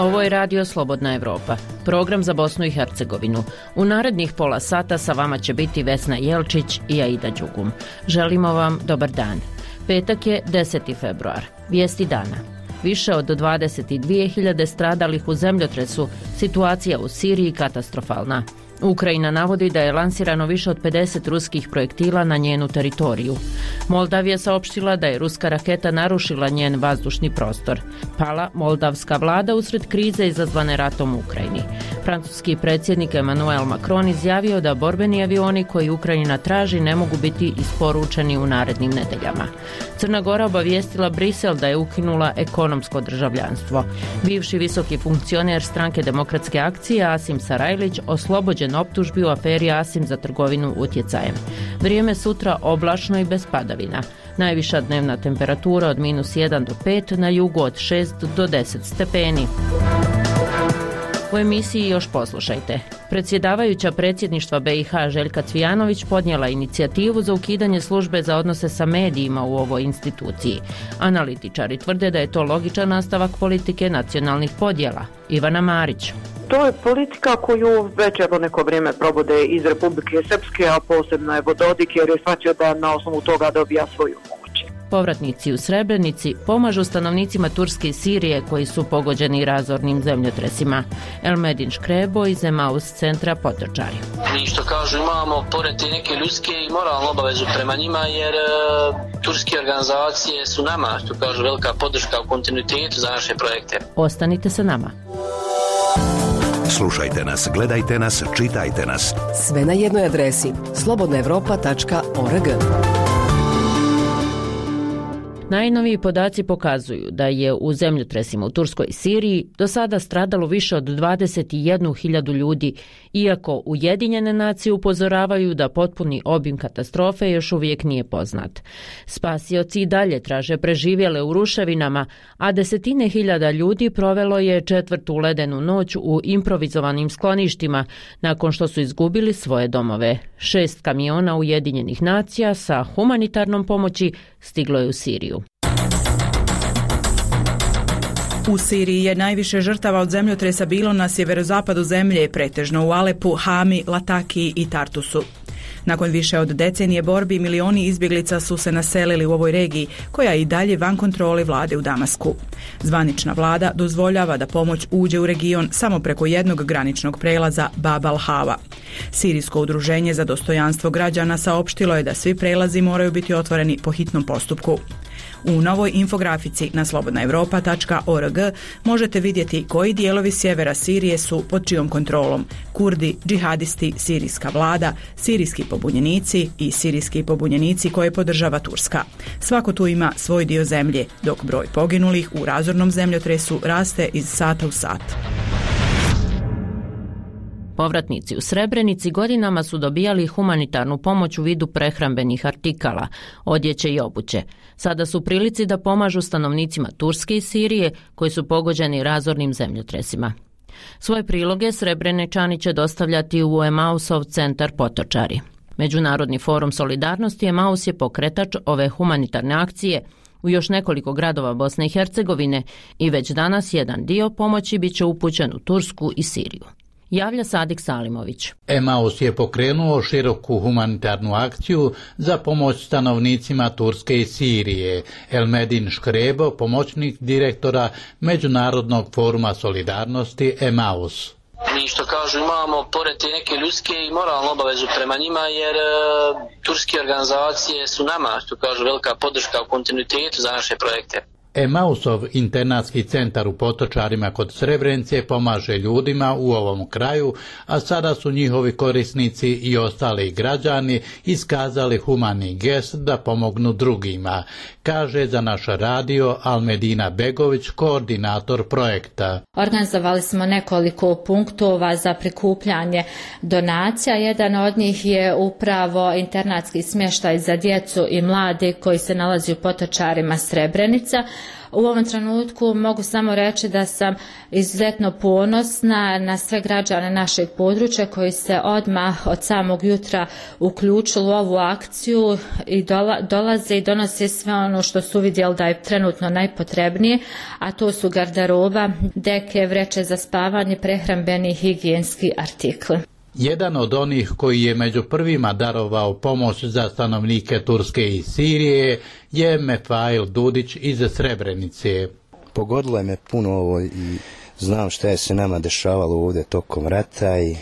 Ovo je Radio Slobodna Evropa, program za Bosnu i Hercegovinu. U narednih pola sata sa vama će biti Vesna Jelčić i Aida Đugum. Želimo vam dobar dan. Petak je 10. februar. Vijesti dana. Više od 22.000 stradalih u zemljotresu, situacija u Siriji katastrofalna. Ukrajina navodi da je lansirano više od 50 ruskih projektila na njenu teritoriju. Moldavija saopštila da je ruska raketa narušila njen vazdušni prostor. Pala moldavska vlada usred krize izazvane ratom u Ukrajini. Francuski predsjednik Emmanuel Macron izjavio da borbeni avioni koji Ukrajina traži ne mogu biti isporučeni u narednim nedeljama. Crna Gora obavijestila Brisel da je ukinula ekonomsko državljanstvo. Bivši visoki funkcioner stranke Demokratske akcije Asim Sarajlić oslobođen optužbi u aferi Asim za trgovinu utjecajem. Vrijeme sutra oblačno i bez padavina. Najviša dnevna temperatura od -1 do 5, na jugu od 6 do 10 stepeni. U emisiji još poslušajte. Predsjedavajuća predsjedništva BiH Željka Cvijanović podnijela inicijativu za ukidanje službe za odnose sa medijima u ovoj instituciji. Analitičari tvrde da je to logičan nastavak politike nacionalnih podjela. Ivana Marić. To je politika koju već evo neko vrijeme provode iz Republike Srpske, a posebno evo Dodik, jer je shvatio da na osnovu toga dobija svoju moć. Povratnici u Srebrenici pomažu stanovnicima Turske i Sirije koji su pogođeni razornim zemljotresima. Elmedin Škrebo iz Emaus centra Potočari. Mi što kažu imamo pored te neke ljudske i moralnu obavezu prema njima, jer turske organizacije su nama, što kažu, velika podrška u kontinuitetu za naše projekte. Ostanite sa nama. Slušajte nas, gledajte nas, čitajte nas. Sve na jednoj adresi slobodnaevropa.org. Najnoviji podaci pokazuju da je u zemljotresima u Turskoj i Siriji do sada stradalo više od 21.000 ljudi, iako Ujedinjene nacije upozoravaju da potpuni obim katastrofe još uvijek nije poznat. Spasioci i dalje traže preživjele u ruševinama, a desetine hiljada ljudi provelo je četvrtu ledenu noć u improvizovanim skloništima nakon što su izgubili svoje domove. 6 kamiona Ujedinjenih nacija sa humanitarnom pomoći stiglo je u Siriju. U Siriji je najviše žrtava od zemljotresa bilo na sjeverozapadu zemlje, pretežno u Alepu, Hami, Latakiji i Tartusu. Nakon više od decenije borbi, milioni izbjeglica su se naselili u ovoj regiji, koja je i dalje van kontrole vlade u Damasku. Zvanična vlada dozvoljava da pomoć uđe u region samo preko jednog graničnog prelaza Bab al-Hava. Sirijsko udruženje za dostojanstvo građana saopštilo je da svi prelazi moraju biti otvoreni po hitnom postupku. U novoj infografici na slobodnaevropa.org možete vidjeti koji dijelovi sjevera Sirije su pod čijom kontrolom: Kurdi, džihadisti, sirijska vlada, sirijski pobunjenici i sirijski pobunjenici koje podržava Turska. Svako tu ima svoj dio zemlje, dok broj poginulih u razornom zemljotresu raste iz sata u sat. Povratnici u Srebrenici godinama su dobijali humanitarnu pomoć u vidu prehrambenih artikala, odjeće i obuće. Sada su u prilici da pomažu stanovnicima Turske i Sirije koji su pogođeni razornim zemljotresima. Svoje priloge Srebreničani će dostavljati u Emausov centar Potočari. Međunarodni forum solidarnosti Emaus je pokretač ove humanitarne akcije u još nekoliko gradova Bosne i Hercegovine i već danas jedan dio pomoći bit će upućen u Tursku i Siriju. Javlja Sadik Salimović. Emaus je pokrenuo široku humanitarnu akciju za pomoć stanovnicima Turske i Sirije. Elmedin Škrebo, pomoćnik direktora Međunarodnog foruma solidarnosti Emaus. Mi što kažu imamo pored te neke ljudske i moralnu obavezu prema njima, jer turske organizacije su nama, što kažu, velika podrška u kontinuitetu za naše projekte. Emausov internatski centar u Potočarima kod Srebrenice pomaže ljudima u ovom kraju, a sada su njihovi korisnici i ostali građani iskazali humani gest da pomognu drugima, kaže za naš radio Almedina Begović, koordinator projekta. Organizovali smo nekoliko punktova za prikupljanje donacija. Jedan od njih je upravo internatski smještaj za djecu i mlade koji se nalazi u Potočarima Srebrenica. U ovom trenutku mogu samo reći da sam izuzetno ponosna na sve građane našeg područja koji se odmah od samog jutra uključili u ovu akciju i dolaze i donose sve ono što su vidjeli da je trenutno najpotrebnije, a to su garderoba, deke, vreće za spavanje, prehrambeni i higijenski artikli. Jedan od onih koji je među prvima darovao pomoć za stanovnike Turske i Sirije je Mefail Dudić iz Srebrenice. Pogodilo je me puno ovo i znam šta je se nama dešavalo ovdje tokom rata i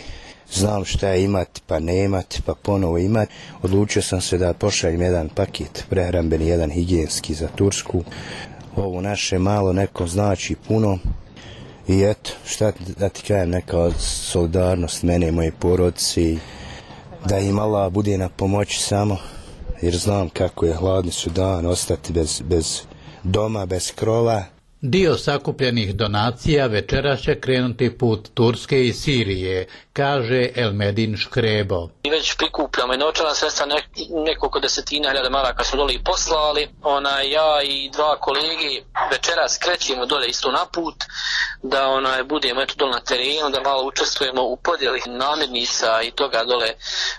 znam šta je imati pa ne imati pa ponovo imati. Odlučio sam se da pošaljem jedan paket prehrambeni, jedan higijenski za Tursku. Ovo naše malo nekom znači puno. I eto, šta da ti kažem, neka solidarnost mene i moje porodice, da im Allah bude na pomoći samo, jer znam kako je hladni su dan, ostati bez doma, bez krova. Dio sakupljenih donacija večeras će krenuti put Turske i Sirije, kaže Elmedin Škrebo. Mi već prikupljamo i novčana sredstva, nekoliko desetina hiljada maraka su dole i poslali. Ja i dva kolege večeras krećemo dole isto na put, da budemo dole na terenu, da malo učestvujemo u podjeli namirnica i toga dole.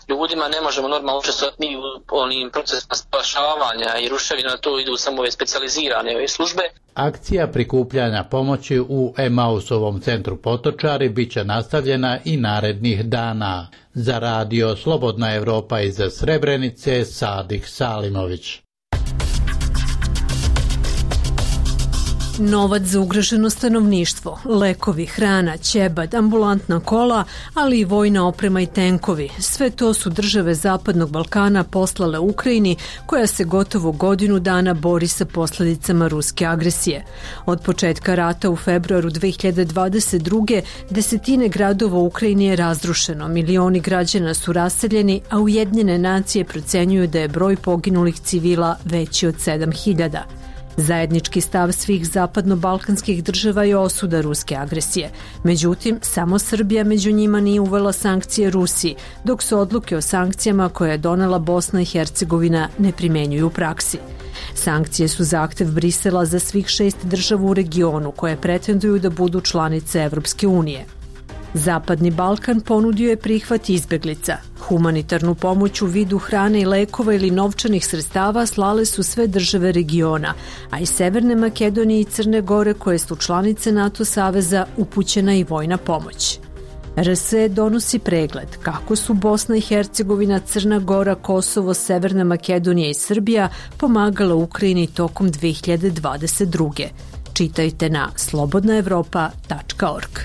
Ljudima ne možemo normalno učestvovati ni u onim procesima spašavanja i ruševina, to idu samo ove specijalizirane službe. Akcija prikupljanja pomoći u Emausovom centru Potočari bit će nastavljena i narednih dana. Za radio Slobodna Evropa iz Srebrenice, Sadik Salimović. Novac za ugroženo stanovništvo, lekovi, hrana, ćebad, ambulantna kola, ali i vojna oprema i tenkovi. Sve to su države Zapadnog Balkana poslale Ukrajini, koja se gotovo godinu dana bori sa posljedicama ruske agresije. Od početka rata u februaru 2022. desetine gradova u Ukrajini je razrušeno, milioni građana su raseljeni, a Ujedinjene nacije procenjuju da je broj poginulih civila veći od 7.000. Zajednički stav svih zapadno-balkanskih država je osuda ruske agresije. Međutim, samo Srbija među njima nije uvela sankcije Rusiji, dok se odluke o sankcijama koje je donela Bosna i Hercegovina ne primjenjuju u praksi. Sankcije su zahtev Brisela za svih 6 država u regionu koje pretenduju da budu članice Evropske unije. Zapadni Balkan ponudio je prihvat izbeglica. Humanitarnu pomoć u vidu hrane i lekova ili novčanih sredstava slale su sve države regiona, a iz Severne Makedonije i Crne Gore, koje su članice NATO saveza, upućena i vojna pomoć. RSE donosi pregled kako su Bosna i Hercegovina, Crna Gora, Kosovo, Severna Makedonija i Srbija pomagala Ukrajini tokom 2022. Čitajte na slobodnaevropa.org.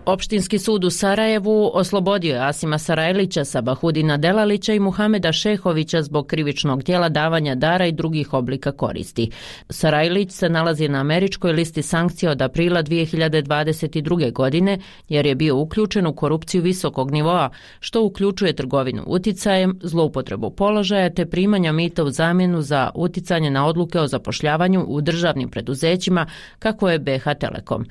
Opštinski sud u Sarajevu oslobodio je Asima Sarajlića, Sabahudina Delalića i Muhameda Šehovića zbog krivičnog djela davanja dara i drugih oblika koristi. Sarajlić se nalazi na američkoj listi sankcija od aprila 2022. godine jer je bio uključen u korupciju visokog nivoa, što uključuje trgovinu uticajem, zloupotrebu položaja te primanja mita u zamjenu za uticanje na odluke o zapošljavanju u državnim preduzećima kako je BH Telekom.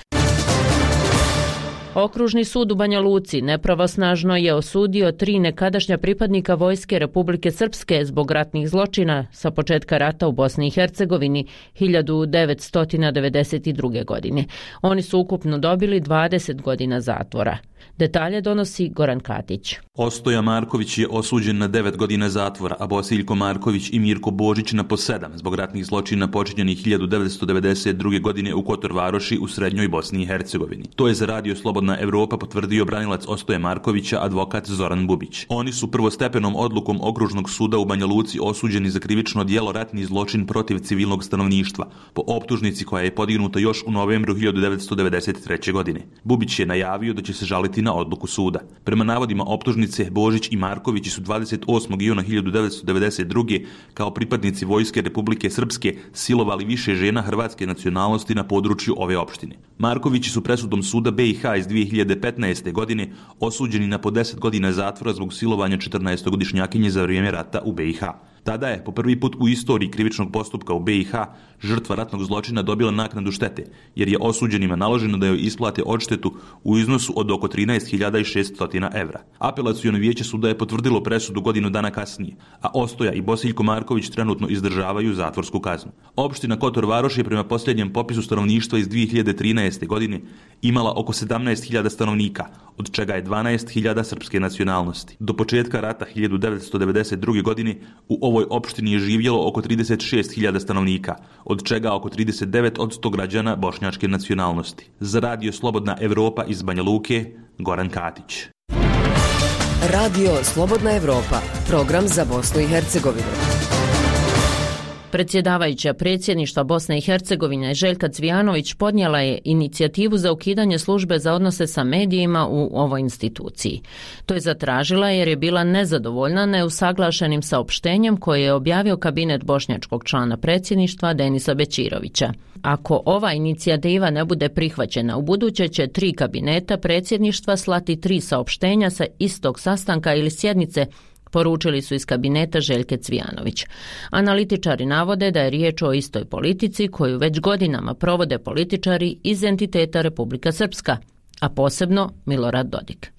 Okružni sud u Banja Luci nepravosnažno je osudio 3 nekadašnja pripadnika Vojske Republike Srpske zbog ratnih zločina sa početka rata u Bosni i Hercegovini 1992. godine. Oni su ukupno dobili 20 godina zatvora. Detalje donosi Goran Katić. Ostoja Marković je osuđen na 9 godina zatvora, a Bosiljko Marković i Mirko Božić na po 7 zbog ratnih zločina počinjenih 1992. godine u Kotor Varoši u srednjoj Bosni i Hercegovini. To je za radio Slobodna Evropa potvrdio branilac Ostoje Markovića, advokat Zoran Bubić. Oni su prvostepenom odlukom Okružnog suda u Banja Luci osuđeni za krivično djelo ratni zločin protiv civilnog stanovništva, po optužnici koja je podignuta još u novembru 1993. godine. Bubić je najavio da će se žaliti na odluku suda. Prema navodima optužnice, Božić i Marković su 28. juna 1992. kao pripadnici Vojske Republike Srpske silovali više žena hrvatske nacionalnosti na području ove opštine. Markovići su presudom suda BiH iz 2015. godine osuđeni na po 10 godina zatvora zbog silovanja 14-godišnjakinje za vrijeme rata u BiH. Tada je po prvi put u istoriji krivičnog postupka u BiH žrtva ratnog zločina dobila naknadu štete, jer je osuđenima naloženo da joj isplate odštetu u iznosu od oko 13.600 evra. Apelaciono vijeće suda je potvrdilo presudu godinu dana kasnije, a Ostoja i Bosiljko Marković trenutno izdržavaju zatvorsku kaznu. Opština Kotor Varoš je prema posljednjem popisu stanovništva iz 2013. godine imala oko 17.000 stanovnika, od čega je 12.000 srpske nacionalnosti. Do početka rata 1992. godine u ovoj opštini je živjelo oko 36.000 stanovnika, od čega oko 39% građana bošnjačke nacionalnosti. Za radio Slobodna Evropa iz Banja Luke, Goran Katić. Radio Slobodna Evropa, program za Bosnu i Hercegovinu. Predsjedavajuća predsjedništva Bosne i Hercegovine Željka Cvijanović podnijela je inicijativu za ukidanje službe za odnose sa medijima u ovoj instituciji. To je zatražila jer je bila nezadovoljna neusaglašenim saopštenjem koje je objavio kabinet bošnjačkog člana predsjedništva Denisa Bećirovića. Ako ova inicijativa ne bude prihvaćena, u buduće će 3 kabineta predsjedništva slati 3 saopštenja sa istog sastanka ili sjednice, poručili su iz kabineta Željke Cvijanović. Analitičari navode da je riječ o istoj politici koju već godinama provode političari iz entiteta Republika Srpska, a posebno Milorad Dodik.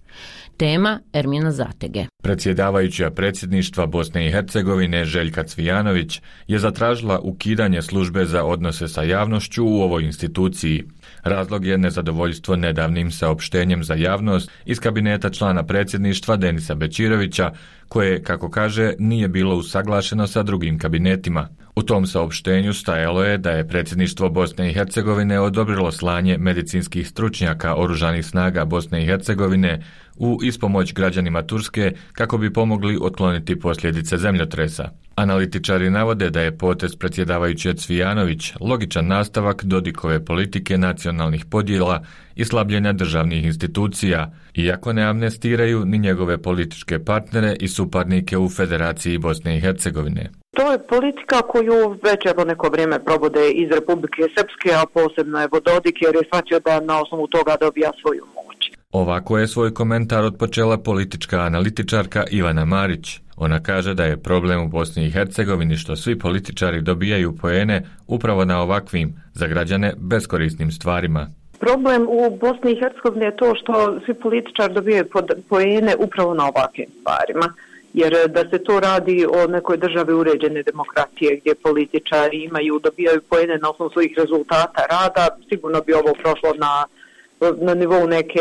Tema Ermina Zatege. Predsjedavajuća predsjedništva Bosne i Hercegovine Željka Cvijanović je zatražila ukidanje službe za odnose sa javnošću u ovoj instituciji. Razlog je nezadovoljstvo nedavnim saopštenjem za javnost iz kabineta člana predsjedništva Denisa Bećirovića, koje, kako kaže, nije bilo usaglašeno sa drugim kabinetima. U tom saopštenju stajalo je da je predsjedništvo Bosne i Hercegovine odobrilo slanje medicinskih stručnjaka Oružanih snaga Bosne i Hercegovine u ispomoć građanima Turske kako bi pomogli otkloniti posljedice zemljotresa. Analitičari navode da je potez predsjedavajuće Cvijanović logičan nastavak Dodikove politike nacionalnih podjela i slabljenja državnih institucija, iako ne amnestiraju ni njegove političke partnere i suparnike u Federaciji Bosne i Hercegovine. To je politika koju već neko vrijeme provode iz Republike Srpske, a posebno je Dodik, jer je shvatio da na osnovu toga dobija svoju moć. Ovako je svoj komentar otpočela politička analitičarka Ivana Marić. Ona kaže da je problem u Bosni i Hercegovini što svi političari dobijaju poene upravo na ovakvim, za građane, beskorisnim stvarima. Problem u Bosni i Hercegovini je to što svi političari dobijaju poene upravo na ovakvim stvarima. Jer da se to radi o nekoj državi uređene demokratije gdje političari dobijaju poene na osnovu svojih rezultata rada, sigurno bi ovo prošlo na nivou neke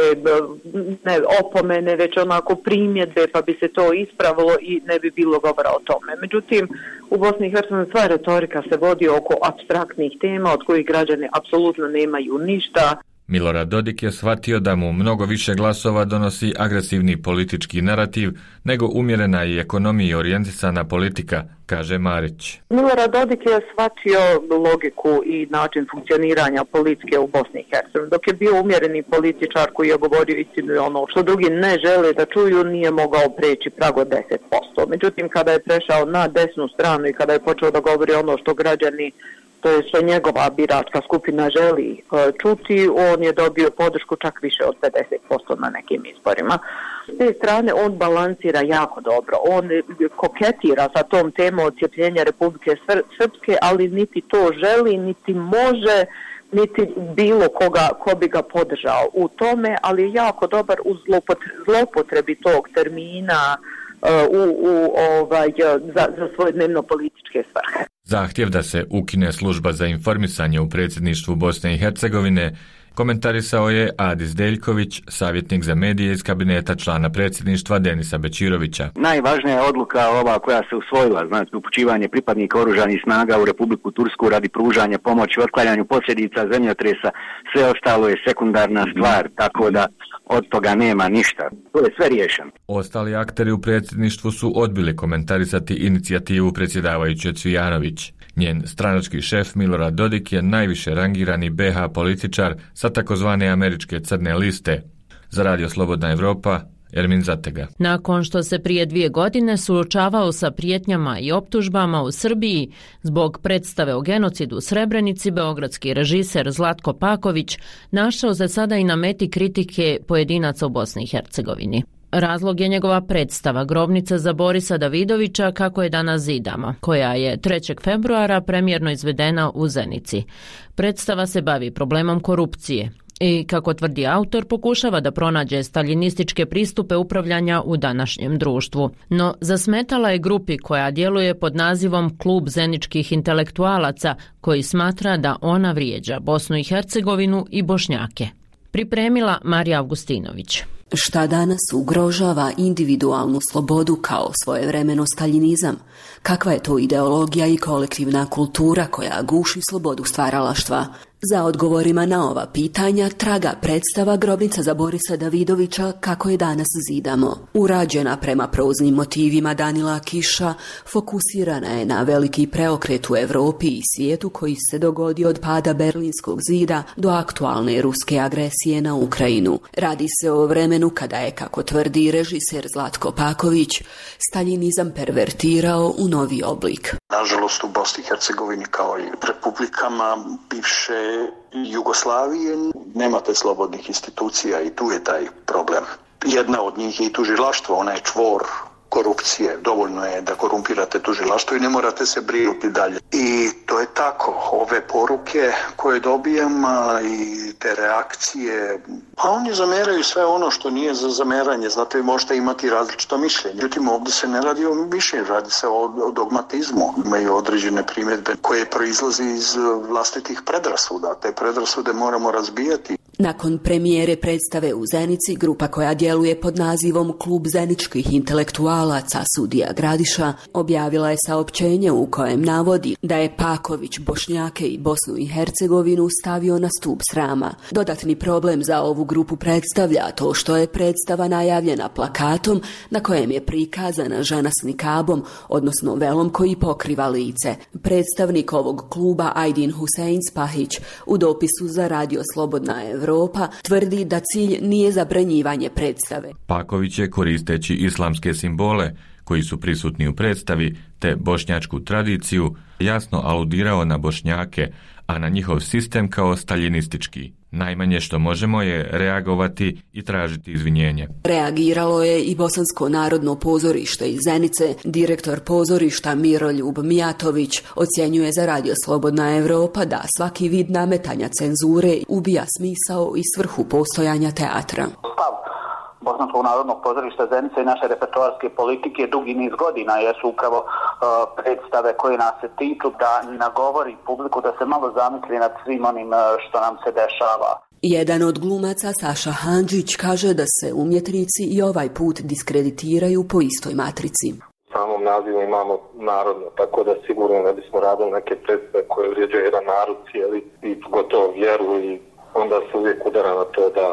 ne opomene, već onako primjedbe, pa bi se to ispravilo i ne bi bilo govora o tome. Međutim, u Bosni i Hercegovini sva retorika se vodi oko apstraktnih tema od kojih građani apsolutno nemaju ništa. Milorad Dodik je shvatio da mu mnogo više glasova donosi agresivni politički narativ nego umjerena i ekonomiji orijentisana politika, kaže Marić. Milorad Dodik je shvatio logiku i način funkcioniranja politike u Bosni i Hercegovini. Dok je bio umjereni političar koji je govorio istinu i ono što drugi ne žele da čuju, nije mogao preći prag od 10%. Međutim, kada je prešao na desnu stranu i kada je počeo da govori ono što građani, to je što njegova biračka skupina želi čuti, on je dobio podršku čak više od 50% na nekim izborima. S te strane on balansira jako dobro, on koketira sa tom temom odcijepljenja Republike Srpske, ali niti to želi, niti može, niti bilo ko bi ga podržao u tome, ali je jako dobar u zlopotrebi tog termina za svoje dnevno političke svrhe. Zahtjev da se ukine služba za informisanje u predsjedništvu Bosne i Hercegovine komentarisao je Adis Deljković, savjetnik za medije iz kabineta člana predsjedništva Denisa Bećirovića. Najvažnija je odluka ova koja se usvojila, znači upućivanje pripadnika oružanih snaga u Republiku Tursku radi pružanja pomoći u otklanjanju posljedica zemljotresa. Sve ostalo je sekundarna stvar, tako da od toga nema ništa. To je sve riješeno. Ostali akteri u predsjedništvu su odbili komentarisati inicijativu predsjedavajuće Cvijanović. Njen stranački šef Milorad Dodik je najviše rangirani BH političar sa takozvane američke crne liste. Za radio Slobodna Evropa, Ermin Zatega. Nakon što se prije 2 godine suočavao sa prijetnjama i optužbama u Srbiji zbog predstave o genocidu u Srebrenici, beogradski režiser Zlatko Paković našao se sada i na meti kritike pojedinaca u Bosni i Hercegovini. Razlog je njegova predstava Grobnica za Borisa Davidovića kako je danas zidamo, koja je 3. februara premijerno izvedena u Zenici. Predstava se bavi problemom korupcije i, kako tvrdi autor, pokušava da pronađe staljinističke pristupe upravljanja u današnjem društvu. No, zasmetala je grupi koja djeluje pod nazivom Klub zeničkih intelektualaca, koji smatra da ona vrijeđa Bosnu i Hercegovinu i Bošnjake. Pripremila Marija Augustinović. Šta danas ugrožava individualnu slobodu kao svojevremeno staljinizam? Kakva je to ideologija i kolektivna kultura koja guši slobodu stvaralaštva? Za odgovorima na ova pitanja traga predstava Grobnica za Borisa Davidovića kako je danas zidamo. Urađena prema proznim motivima Danila Kiša, fokusirana je na veliki preokret u Europi i svijetu koji se dogodio od pada Berlinskog zida do aktualne ruske agresije na Ukrajinu. Radi se o vremenu kada je, kako tvrdi režiser Zlatko Paković, staljinizam pervertirao u novi oblik. Nažalost, u Bosni i Hercegovini kao i republikama bivše Jugoslavije nemate slobodnih institucija i tu je taj problem. Jedna od njih je i tužilaštvo, ona je čvor korupcije. Dovoljno je da korumpirate tužilaštvo i ne morate se brinuti dalje. I to je tako. Ove poruke koje dobijam i te reakcije, pa oni zameraju sve ono što nije za zameranje. Znate, vi možete imati različito mišljenje. Međutim, ovdje se ne radi o mišljenju, radi se o dogmatizmu. Imaju određene primjedbe koje proizlazi iz vlastitih predrasuda. Te predrasude moramo razbijati. Nakon premijere predstave u Zenici, grupa koja djeluje pod nazivom Klub zeničkih intelektualaca Sudija Gradiša objavila je saopćenje u kojem navodi da je Paković Bošnjake i Bosnu i Hercegovinu stavio na stup srama. Dodatni problem za ovu grupu predstavlja to što je predstava najavljena plakatom na kojem je prikazana žena s nikabom, odnosno velom koji pokriva lice. Predstavnik ovog kluba Ajdin Husein Spahić u dopisu za Radio Slobodna Evropa tvrdi da cilj nije zabranjivanje predstave. Paković je, koristeći islamske simbole koji su prisutni u predstavi te bošnjačku tradiciju, jasno aludirao na Bošnjake, a na njihov sistem kao staljinistički. Najmanje što možemo je reagovati i tražiti izvinjenje. Reagiralo je i Bosansko narodno pozorište iz Zenice. Direktor pozorišta Miroljub Mijatović ocjenjuje za Radio Slobodna Evropa da svaki vid nametanja cenzure ubija smisao i svrhu postojanja teatra. Bosanskog narodnog pozorišta Zenice i naše repertoarske politike dugi niz godina jesu upravo predstave koje nas se tiču, da nagovori publiku da se malo zamisli nad svim onim što nam se dešava. Jedan od glumaca, Saša Handžić, kaže da se umjetnici i ovaj put diskreditiraju po istoj matrici. U samom nazivu imamo narodno, tako da sigurno ne bismo radili neke predstave koje vrijeđaju jedan narod cijeli i gotovo vjeru, i onda se uvijek udara na to da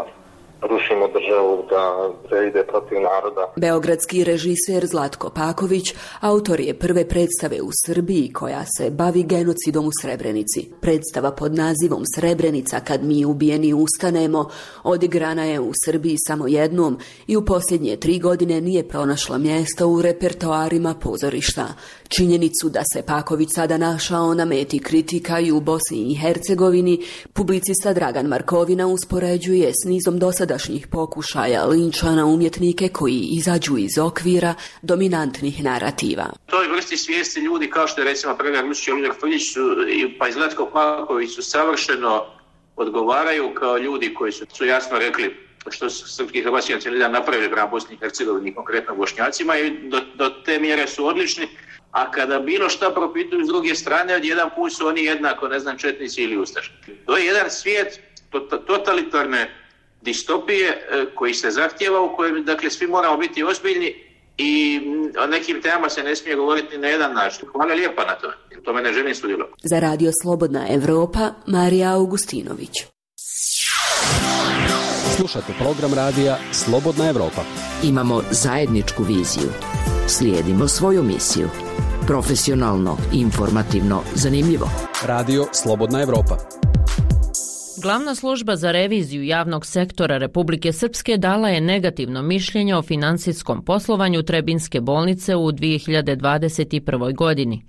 rušimo državu, da se ide protiv naroda. Beogradski režiser Zlatko Paković autor je prve predstave u Srbiji koja se bavi genocidom u Srebrenici. Predstava pod nazivom Srebrenica kad mi ubijeni ustanemo odigrana je u Srbiji samo jednom i u posljednje 3 godine nije pronašla mjesto u repertoarima pozorišta. Činjenicu da se Paković sada našao na meti kritika i u Bosni i Hercegovini, publicista Dragan Markovina uspoređuje s nizom dosadašnjih pokušaja linča na umjetnike koji izađu iz okvira dominantnih narativa. Toj vrsti svijesti ljudi kao što je recimo Predrag Lučić i Oliver Frljić pa i Zlatko Paković su savršeno odgovaraju kao ljudi koji su jasno rekli što su srpski i hrvatski nacionalizam napravili prema Bosni i Hercegovini, konkretno Bošnjacima, i do te mjere su odlični, a kada bilo šta propituju s druge strane, odjedan put su oni jednako, četnici ili ustaši. To je jedan svijet totalitarne distopije koji se zahtjeva, u kojem svi moramo biti ozbiljni i o nekim temama se ne smije govoriti na jedan način. Hvala lijepa na to, to me ne želim sudjelovati. Za Radio Slobodna Evropa, Marija Augustinović. Slušate program radija Slobodna Evropa. Imamo zajedničku viziju. Slijedimo svoju misiju. Profesionalno, informativno, zanimljivo. Radio Slobodna Evropa. Glavna služba za reviziju javnog sektora Republike Srpske dala je negativno mišljenje o financijskom poslovanju Trebinjske bolnice u 2021. godini.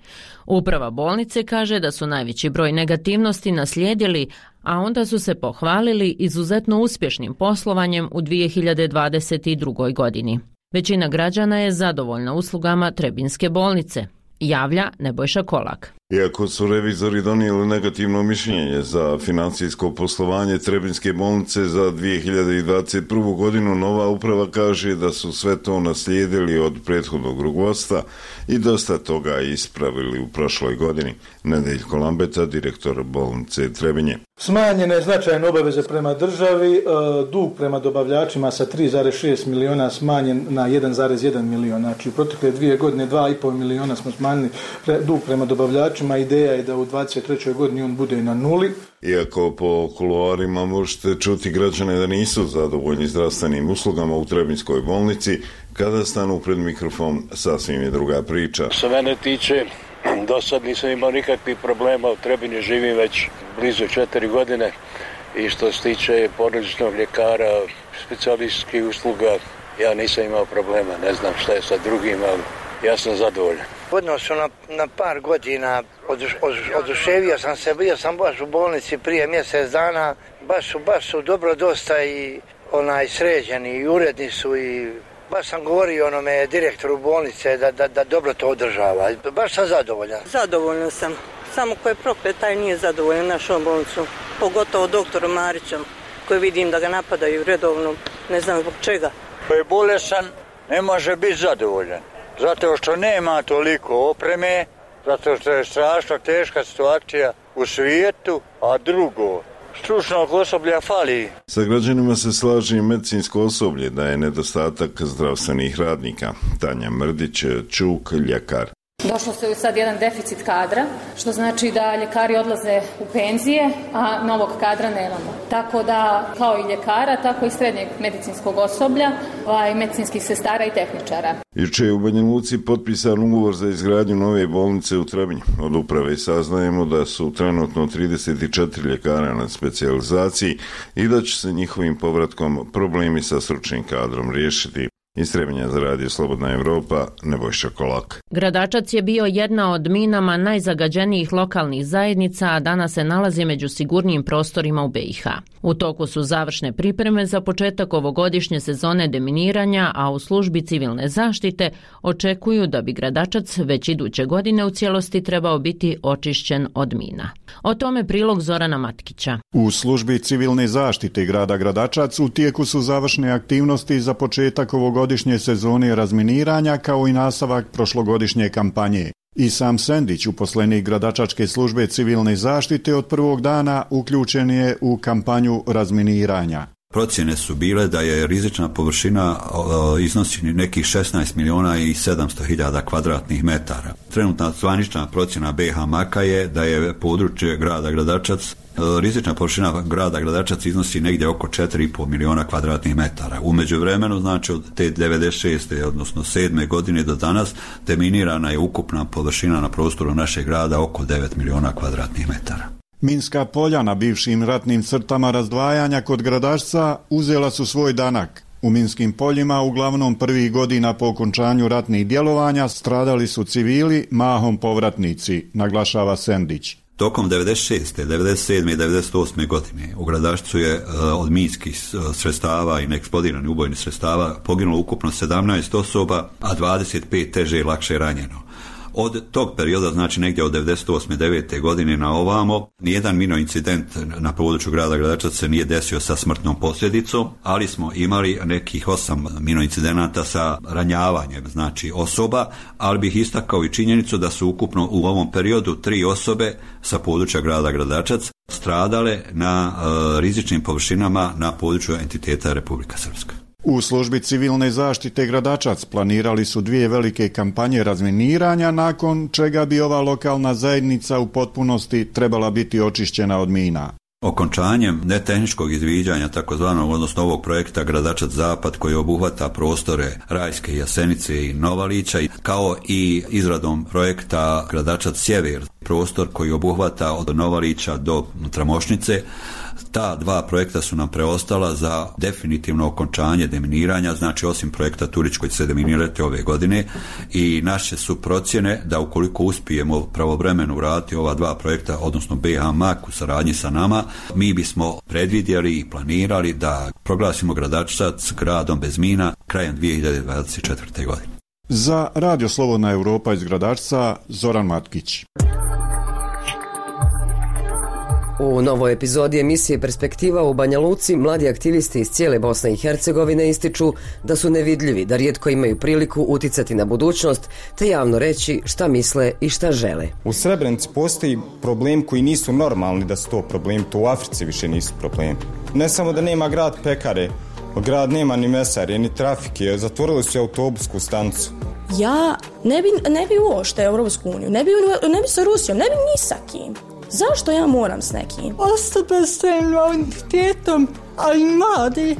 Uprava bolnice kaže da su najveći broj negativnosti naslijedili, a onda su se pohvalili izuzetno uspješnim poslovanjem u 2022. godini. Većina građana je zadovoljna uslugama Trebinjske bolnice, javlja Nebojša Kolak. Iako su revizori donijeli negativno mišljenje za financijsko poslovanje Trebinjske bolnice za 2021. godinu, nova uprava kaže da su sve to naslijedili od prethodnog rukovodstva i dosta toga ispravili u prošloj godini. Nedeljko Lambeta, direktor bolnice Trebinje. Smanjene značajne obaveze prema državi, dug prema dobavljačima sa 3,6 miliona smanjen na 1,1 milion. Znači u protekle 2 godine 2,5 miliona smo smanjili dug prema dobavljačima. Ideja je da u 23. godini on bude na nuli. Iako po kuloarima možete čuti građane da nisu zadovoljni zdravstvenim uslugama u Trebinjskoj bolnici, kada stanu pred mikrofon sasvim je druga priča. Što mene tiče, do sad nisam imao nikakvih problema, u Trebinju živim već blizu 4 godine i što se tiče porodičnog ljekara, specijalističkih usluga, ja nisam imao problema, ne znam šta je sa drugim, ali ja sam zadovoljan. U odnosu na par godina oduševio sam se, bio sam baš u bolnici prije mjesec dana, baš su dobro dosta i sređeni i uredni su i baš sam govorio onome direktoru bolnice da dobro to održava. Baš sam zadovoljan. Zadovoljna sam. Samo ko je proklet, taj nije zadovoljan našom bolnicom. Pogotovo doktorom Marićem, koji vidim da ga napadaju redovno, ne znam zbog čega. Ko je bolesan, ne može biti zadovoljan. Zato što nema toliko opreme, zato što je strašno teška situacija u svijetu, a drugo, stručnog osoblja fali. Sa građanima se slaže i medicinsko osoblje da je nedostatak zdravstvenih radnika. Tanja Mrdić, Čuk, ljekar. Došlo se sad jedan deficit kadra, što znači da ljekari odlaze u penzije, a novog kadra nemamo. Tako da, kao i ljekara, tako i srednjeg medicinskog osoblja, i medicinskih sestara i tehničara. Juče je u Banja Luci potpisan ugovor za izgradnju nove bolnice u Trebinju. Od uprave saznajemo da su trenutno 34 ljekara na specijalizaciji i da će se njihovim povratkom problemi sa stručnim kadrom riješiti. Iz Trebinja za radio Slobodna Evropa, Nebojša Kolak. Gradačac je bio jedna od minama najzagađenijih lokalnih zajednica, a danas se nalazi među sigurnijim prostorima u BiH. U toku su završne pripreme za početak ovogodišnje sezone deminiranja, a u službi civilne zaštite očekuju da bi Gradačac već iduće godine u cijelosti trebao biti očišćen od mina. O tome prilog Zorana Matkića. U službi civilne zaštite grada Gradačac u tijeku su završne aktivnosti za početak ovogodišnje sezone razminiranja kao i nastavak prošlogodišnje kampanje. I sam Sendić, uposlenik Gradačačke službe civilne zaštite, od prvog dana uključen je u kampanju razminiranja. Procjene su bile da je rizična površina iznosi nekih 16 miliona i 700 hiljada kvadratnih metara. Trenutna zvanična procjena BiH Maka je da je područje grada Gradačac, rizična površina grada Gradačac iznosi negdje oko 4,5 miliona kvadratnih metara. U međuvremenu, znači od te 96. odnosno 7. godine do danas, deminirana je ukupna površina na prostoru našeg grada oko 9 miliona kvadratnih metara. Minska polja na bivšim ratnim crtama razdvajanja kod Gradačca uzela su svoj danak. U minskim poljima, uglavnom prvih godina po okončanju ratnih djelovanja, stradali su civili, mahom povratnici, naglašava Sendić. Tokom 96., 97. i 98. godine u Gradačcu je od minskih sredstava i neeksplodiranih ubojnih sredstava poginulo ukupno 17 osoba, a 25 teže i lakše ranjeno. Od tog perioda, znači negdje od 98. 9. godine na ovamo, nijedan mino incident na području grada Gradačac se nije desio sa smrtnom posljedicom, ali smo imali nekih 8 mino incidenata sa ranjavanjem, znači osoba, ali bih istakao i činjenicu da su ukupno u ovom periodu 3 osobe sa područja grada Gradačac stradale na rizičnim površinama na području entiteta Republika Srpska. U službi civilne zaštite Gradačac planirali su 2 velike kampanje razminiranja, nakon čega bi ova lokalna zajednica u potpunosti trebala biti očišćena od mina. Okončanjem netehničkog izviđanja takozvanog, odnosno ovog projekta Gradačac Zapad, koji obuhvata prostore Rajske, Jasenice i Novalića, kao i izradom projekta Gradačac Sjever, prostor koji obuhvata od Novalića do Tramošnice. Ta dva projekta su nam preostala za definitivno okončanje deminiranja, znači osim projekta Turić koji će se deminirati ove godine, i naše su procjene da ukoliko uspijemo pravovremeno uraditi ova dva projekta, odnosno BH-MAK u saradnji sa nama, mi bismo predvidjeli i planirali da proglasimo Gradačac gradom bez mina krajem 2024. godine. Za Radio Slobodna Europa iz Gradačca, Zoran Matkić. U novoj epizodi emisije Perspektiva u Banja Luci mladi aktivisti iz cijele Bosne i Hercegovine ističu da su nevidljivi, da rijetko imaju priliku uticati na budućnost te javno reći šta misle i šta žele. U Srebrenici postoji problem koji nisu normalni da su to problem, to u Africi više nisu problem. Ne samo da nema grad pekare, grad nema ni mesare, ni trafike, zatvorili su autobusku stanicu. Ja ne bi uopšte Europsku uniju, ne bi sa Rusijom, ne bi ni sa kim. Zašto ja moram s nekim? Osobe s invaliditetom, ali mladi,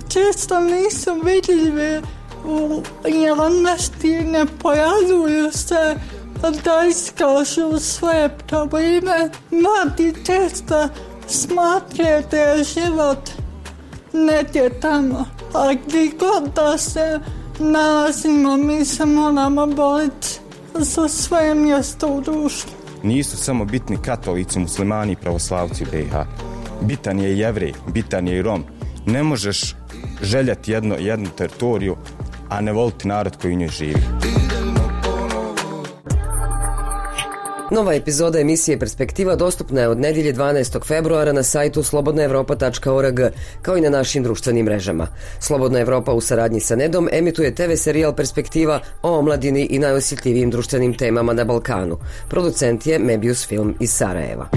često nisu vidljive u javnosti, ne pojavljuju se da iskažu svoje probleme. Mladi često smatraju da je život negdje tamo, a gdje god da se nalazimo, mi se moramo boriti za svoje mjesto u društvu. Nisu samo bitni katolici, muslimani i pravoslavci u BiH. Bitan je i Jevrej, bitan je i Rom. Ne možeš željeti jednu teritoriju, a ne voliti narod koji u njoj živi. Nova epizoda emisije Perspektiva dostupna je od nedjelje 12. februara na sajtu slobodnaevropa.org, kao i na našim društvenim mrežama. Slobodna Evropa u saradnji sa Nedom emituje TV serijal Perspektiva o omladini i najosjetljivijim društvenim temama na Balkanu. Producent je Mebius Film iz Sarajeva.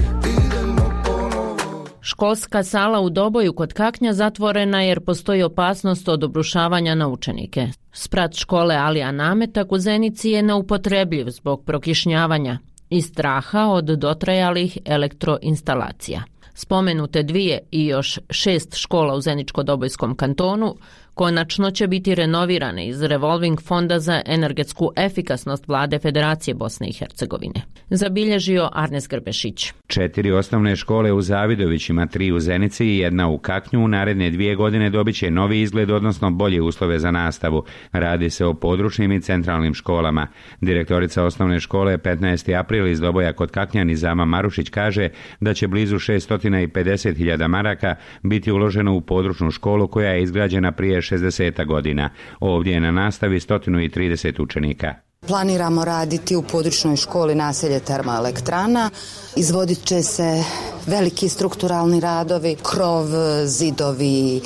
Školska sala u Doboju kod Kaknja zatvorena jer postoji opasnost od obrušavanja na učenike. Sprat škole Alija Nametak u Zenici je neupotrebljiv zbog prokišnjavanja i straha od dotrajalih elektroinstalacija. Spomenute 2 i još 6 škola u Zeničko-Dobojskom kantonu konačno će biti renovirane iz Revolving fonda za energetsku efikasnost Vlade Federacije Bosne i Hercegovine. Zabilježio Arnes Grbešić. 4 osnovne škole u Zavidovićima, 3 u Zenici i 1 u Kaknju u naredne 2 godine dobit će novi izgled, odnosno bolje uslove za nastavu. Radi se o područnim i centralnim školama. Direktorica osnovne škole 15. april iz Doboja kod Kaknja Nizama Marušić kaže da će blizu 650.000 maraka biti uloženo u područnu školu koja je izgrađena prije 60 godina. Ovdje je na nastavi 130 učenika. Planiramo raditi u područnoj školi naselje Termoelektrana. Izvodit će se veliki strukturalni radovi, krov, zidovi,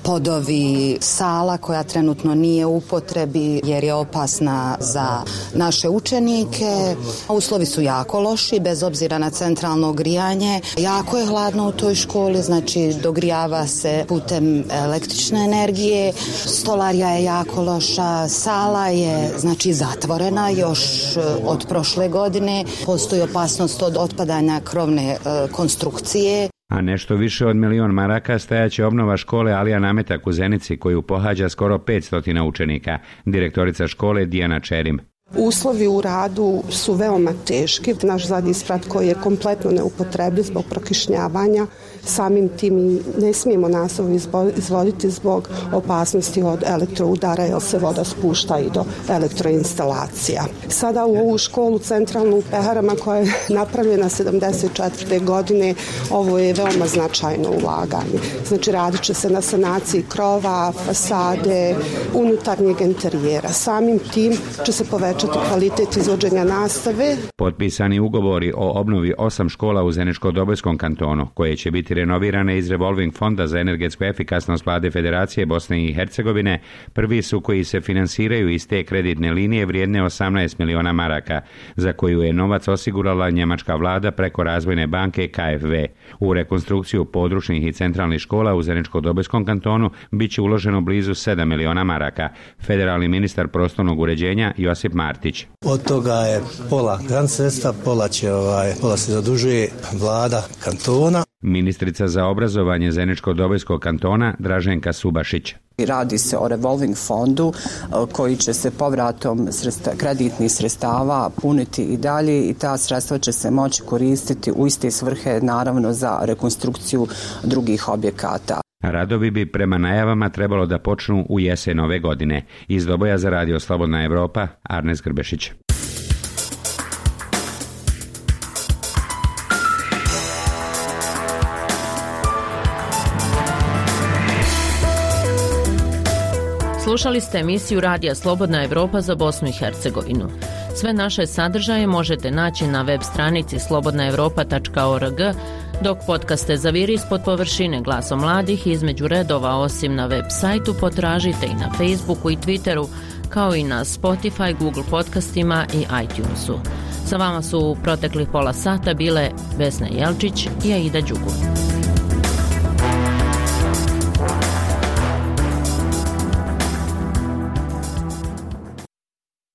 podovi, sala koja trenutno nije u upotrebi jer je opasna za naše učenike. Uslovi su jako loši, bez obzira na centralno grijanje. Jako je hladno u toj školi, znači dogrijava se putem električne energije. Stolarija je jako loša, sala je znači zatvorena još od prošle godine. Postoji opasnost od otpadanja krovne konstrukcije. A nešto više od 1 milion maraka stajaće obnova škole Alija Nametak u Zenici koju pohađa skoro 500 učenika. Direktorica škole Dijana Čerim. Uslovi u radu su veoma teški. Naš zadnji sprat koji je kompletno neupotrebljiv zbog prokišnjavanja, samim tim ne smijemo nastavu izvoditi zbog opasnosti od elektroudara jer se voda spušta i do elektroinstalacija. Sada u ovu školu centralnu u Peharama koja je napravljena 74. godine, ovo je veoma značajno ulaganje. Znači radit će se na sanaciji krova, fasade, unutarnjeg interijera. Samim tim će se povećati kvalitet izvođenja nastave. Potpisani ugovori o obnovi 8 škola u Zeničko-Dobojskom kantonu, koje će biti renovirane iz Revolving fonda za energetsku efikasnost Vlade Federacije Bosne i Hercegovine, prvi su koji se finansiraju iz te kreditne linije vrijedne 18 miliona maraka, za koju je novac osigurala njemačka vlada preko razvojne banke KfW. U rekonstrukciju područnih i centralnih škola u Zeničko-Dobojskom kantonu bit će uloženo blizu 7 miliona maraka. Federalni ministar prostornog uređenja Josip Martić. Od toga je pola grand sredstva, pola se zadužuje vlada kantona. Ministrica za obrazovanje Zeničko-Dobojskog kantona Draženka Subašić. Radi se o revolving fondu koji će se povratom kreditnih sredstava puniti i dalje i ta sredstva će se moći koristiti u iste svrhe, naravno za rekonstrukciju drugih objekata. Radovi bi prema najavama trebalo da počnu u jesen ove godine. Iz Doboja za Radio Slobodna Evropa, Arnes Grbešić. Slušali ste emisiju Radija Slobodna Evropa za Bosnu i Hercegovinu. Sve naše sadržaje možete naći na web stranici slobodnaevropa.org, dok podcaste Zaviri ispod površine Glasom mladih između redova osim na web sajtu potražite i na Facebooku i Twitteru, kao i na Spotify, Google podcastima i iTunesu. Sa vama su u proteklih pola sata bile Vesna Jelčić i Aida Đugu.